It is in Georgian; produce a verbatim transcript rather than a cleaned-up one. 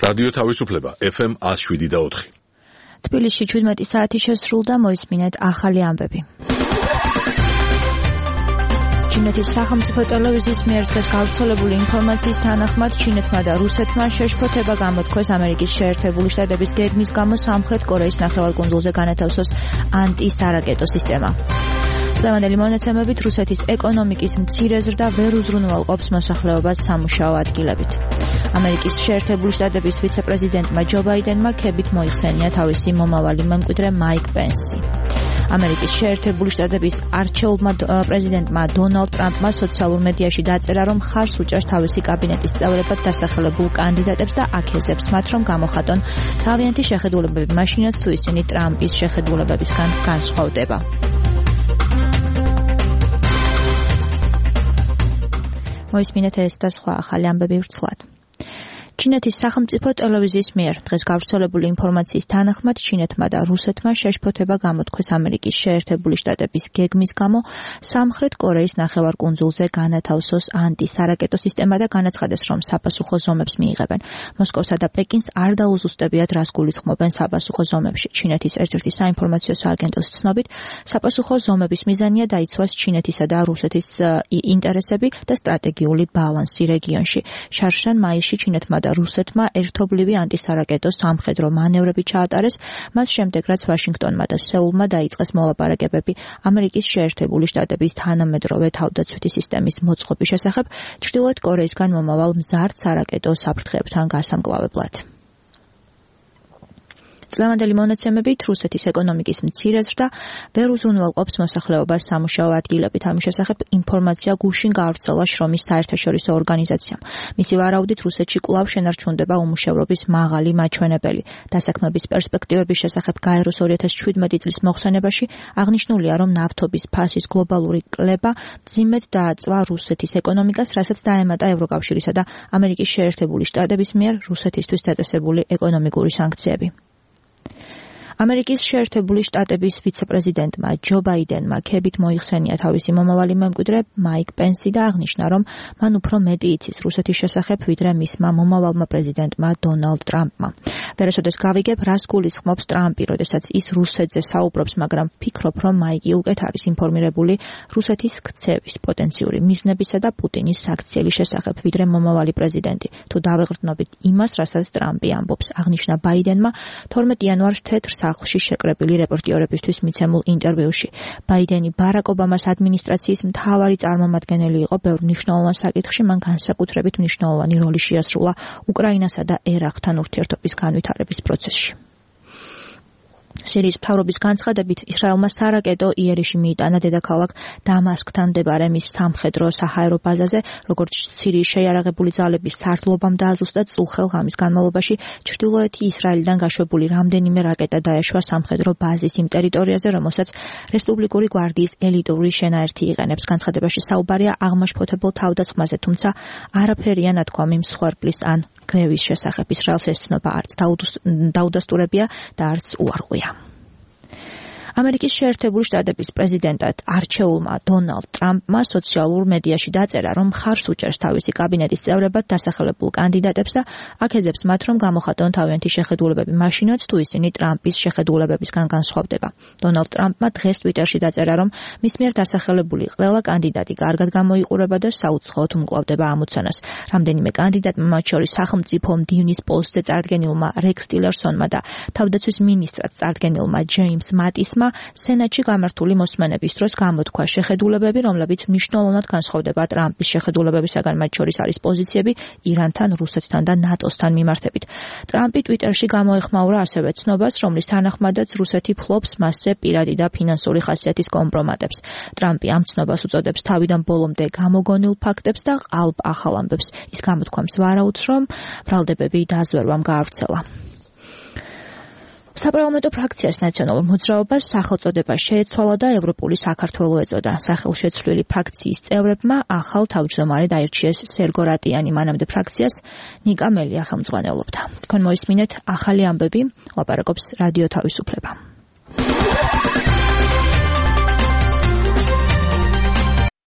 რადიო თავისუფლება ეფ ემ one oh seven point four. თბილისში შვიდმეტი საათი შესრულდა, მოისმინეთ ახალი ამბები. ჩინეთის სახელმწიფო ტელევიზიის მიერ დღეს გავრცელებული ინფორმაციის თანახმად ჩინეთმა და რუსეთმა შეშფოთება გამოთქვეს ამერიკის შეერთებული შტატების გეგმის გამო სამხრეთ კორეის ნახევარკუნძულზე განათავსოს ანტისარაკეტო სისტემა. დღევანდელი მონაცემებით რუსეთის ეკონომიკის მცირე ზრდა ვერ უზრუნველყოფს მოსახლეობას სამუშაო ადგილებით. ამერიკის შეერთებული შტატების ვიცე-პრეზიდენტმა ჯო ბაიდენმა ქებით მოიხსენია თავისი მომავალი მემკვიდრე მაიკ პენსი. ამერიკის შეერთებული შტატების არჩეულმა პრეზიდენტმა დონალდ ტრამპმა სოციალურ მედიაში დაწერა, რომ ხარს უჭერს თავისი კაბინეტის წევრებად დასახელებულ კანდიდატებს და აქეზებს მათ, რომ გამოხატონ თავიანთი შეხედულებები მაშინაც, თუ ისინი ტრამპის შეხედულებებისგან განსხვავდება. მოისმინეთ ეს და სხვა ახალი ამბები ვრცლად. ჩინეთის სახელმწიფო ტელევიზიის მიერ დღეს გავრცელებული ინფორმაციის თანახმად ჩინეთმა და რუსეთმა შეშფოთება გამოთქვეს ამერიკის შეერთებული შტატების გეგმის გამო სამხრეთ კორეის ნახევარკუნძულზე განათავსოს ანტისარაკეტო სისტემა და განაცხადეს, რომ საპასუხო ზომებს მიიღებენ. მოსკოვსა და პეკინს არ დაუზუსტებიათ, რას გულისხმობენ საპასუხო ზომებში. ჩინეთის ერთ-ერთი საინფორმაციო სააგენტოს ცნობით, საპასუხო ზომების მიზანია დაიცვას ჩინეთისა და რუსეთის ინტერესები და სტრატეგიული ბალანსი რეგიონში. შარშან მაისში ჩინეთმა და რუსეთმა ერთობლივი ანტისარაკეტო სამხედრო მანევრები ჩაატარეს, მას შემდეგ რაც ვაშინგტონმა და სეულმა დაიწყეს მოლაპარაკებები ამერიკის შეერთებული შტატების თანამედროვე თავდაცვითი სისტემის მოწყობის შესახებ ჩრდილოეთ კორეისგან მომავალ მზარდ სარაკეტო საფრთხეებთან გასამკლავებლად. დღევანდელი მონაცემებით რუსეთის ეკონომიკის მცირე ზრდა ვერ უზრუნველყოფს მოსახლეობას სამუშაო ადგილებით. ამის შესახებ ინფორმაცია გუშინ გავრცელა შრომის საერთაშორისო ორგანიზაციამ. მისი ვარაუდით რუსეთში კვლავ შენარჩუნდება უმუშევრობის მაღალი მაჩვენებელი. დასაქმების პერსპექტივების შესახებ გაეროს ორი ათას შვიდმეტი წლის მოხსენებაში აღნიშნულია, რომ ნავთობის ფასის გლობალური კლება მძიმედ დააწვა რუსეთის ეკონომიკას, რასაც დაემატა ევროკავშირისა და ამერიკის შეერთებული შტატების მიერ რუსეთისთვის დაწესებული ეკონომიკური სანქციები. ამერიკის შეერთებული შტატების ვიცე-პრეზიდენტმა ჯო ბაიდენმა ქებით მოიხსენია თავისი მომავალი მემკვიდრე მაიკ პენსი და აღნიშნა, რომ მან უფრო მეტი იცის რუსეთის შესახებ, ვიდრე მისმა მომავალმა პრეზიდენტმა დონალდ ტრამპმა. ვერასოდეს გავიგებ, რას გულისხმობს ტრამპი, როდესაც ის რუსეთზე საუბრობს, მაგრამ ვფიქრობ, რომ მაიკი უკეთ არის ინფორმირებული რუსეთის ქცევის, პოტენციური მიზნებისა და პუტინის საქციელის შესახებ, ვიდრე მომავალი პრეზიდენტი. თუ დავეღრდნობით იმას, რასაც ტრამპი ამბობს, აღნიშნა ბაიდენმა თორმეტი იანვარს თეთრ სახლში შეკრებილი რეპორტიორებისთვის მიცემულ ინტერვიუში. ბაიდენი ბარაკ ობამას ადმინისტრაციის მთავარი წარმომადგენელი იყო ბევრ მნიშვნელოვან საკითხში, მან განსაკუთრებით მნიშვნელოვანი როლი შეასრულა უკრაინასა და ერაყთან ურთიერთობის განვითარების პროცესში. სირიის მთავრობის განცხადებით, ისრაელმა სარაკეტო იერიში მიიტანა დედაქალაქ დამასკთან მდებარე მის სამხედრო საჰაერო ბაზაზე, როგორც სირიის შეიარაღებული ძალების სარდლობამ დააზუსტა წუხელ ღამის განმავლობაში ჩრდილოეთი ისრაელიდან გაშვებული რამდენიმე რაკეტა დაეშვა სამხედრო ბაზის იმ ტერიტორიაზე, რომელსაც რესპუბლიკური გვარდიის ელიტური შენაერთი იყენებს. განცხადებაში საუბარია აღმაშფოთებელ თავდასხმაზე, თუმცა არაფერია ნათქვამი მსხვერპლის ან გრევის შესახებ. ისრაელს ეს ცნობა არც დაუდასტურებია და არც უარყვია. ამერიკის შეერთებული შტატების პრეზიდენტად არჩეულმა დონალდ ტრამპმა სოციალურ მედიაში დაწერა, რომ ხარს უჭერს თავისი კაბინეტის წევრებად დასახელებულ კანდიდატებს და აქეზებს მათ, რომ გამოხატონ თავიანთი შეხედულებები მაშინაც, თუ ისინი ტრამპის შეხედულებებისგან განსხვავდება. დონალდ ტრამპმა დღეს ტვიტერში დაწერა, რომ მის მიერ დასახელებული ყველა კანდიდატი კარგად გამოიყურება და საუცხოოდ უმკლავდება ამოცანას. რამდენიმე კანდიდატმა, მათ შორის სახელმწიფო მდივნის პოსტზე წარდგენილმა რექს ტილერსონმა და თავდაცვის მინისტრად წარდგენილმა ჯეიმს მატისმა სენატში გამართული მოსმენების დროს გამოთქვა შეხედულებები, რომლებიც მნიშვნელოვნად განსხვავდება ტრამპის შეხედულებებისაგან, მათ შორის არის პოზიციები ირანთან, რუსეთთან და ნატოსთან მიმართებით. ტრამპი ტვიტერში გამოეხმაურა ასევე ცნობას, რომლის თანახმადაც რუსეთი ფლობს მასზე პირადი და ფინანსური ხასიათის კომპრომატებს. ტრამპი ამ ცნობას უწოდებს თავიდან ბოლომდე გამოგონილ ფაქტებს და ყალბ ახალ ამბებს. ის გამოთქვამს ვარაუდს, რომ ბრალდებები დაზვერვამ გაავრცელა. საპარლამენტო ფრაქციას ნაციონალურ მოძრაობას სახელწოდება შეეცვალა და ევროპული საქართველო ეწოდა. სახელშეცვლილი ფრაქციის წევრებმა ახალ თავმჯდომარე დაირჩიეს სერგო რატიანი, მანამდე ფრაქციას ნიკა მელია ხელმძღვანელობდა. თქვენ მოისმინეთ ახალი ამბები, ლაპარაკობს რადიო თავისუფლება.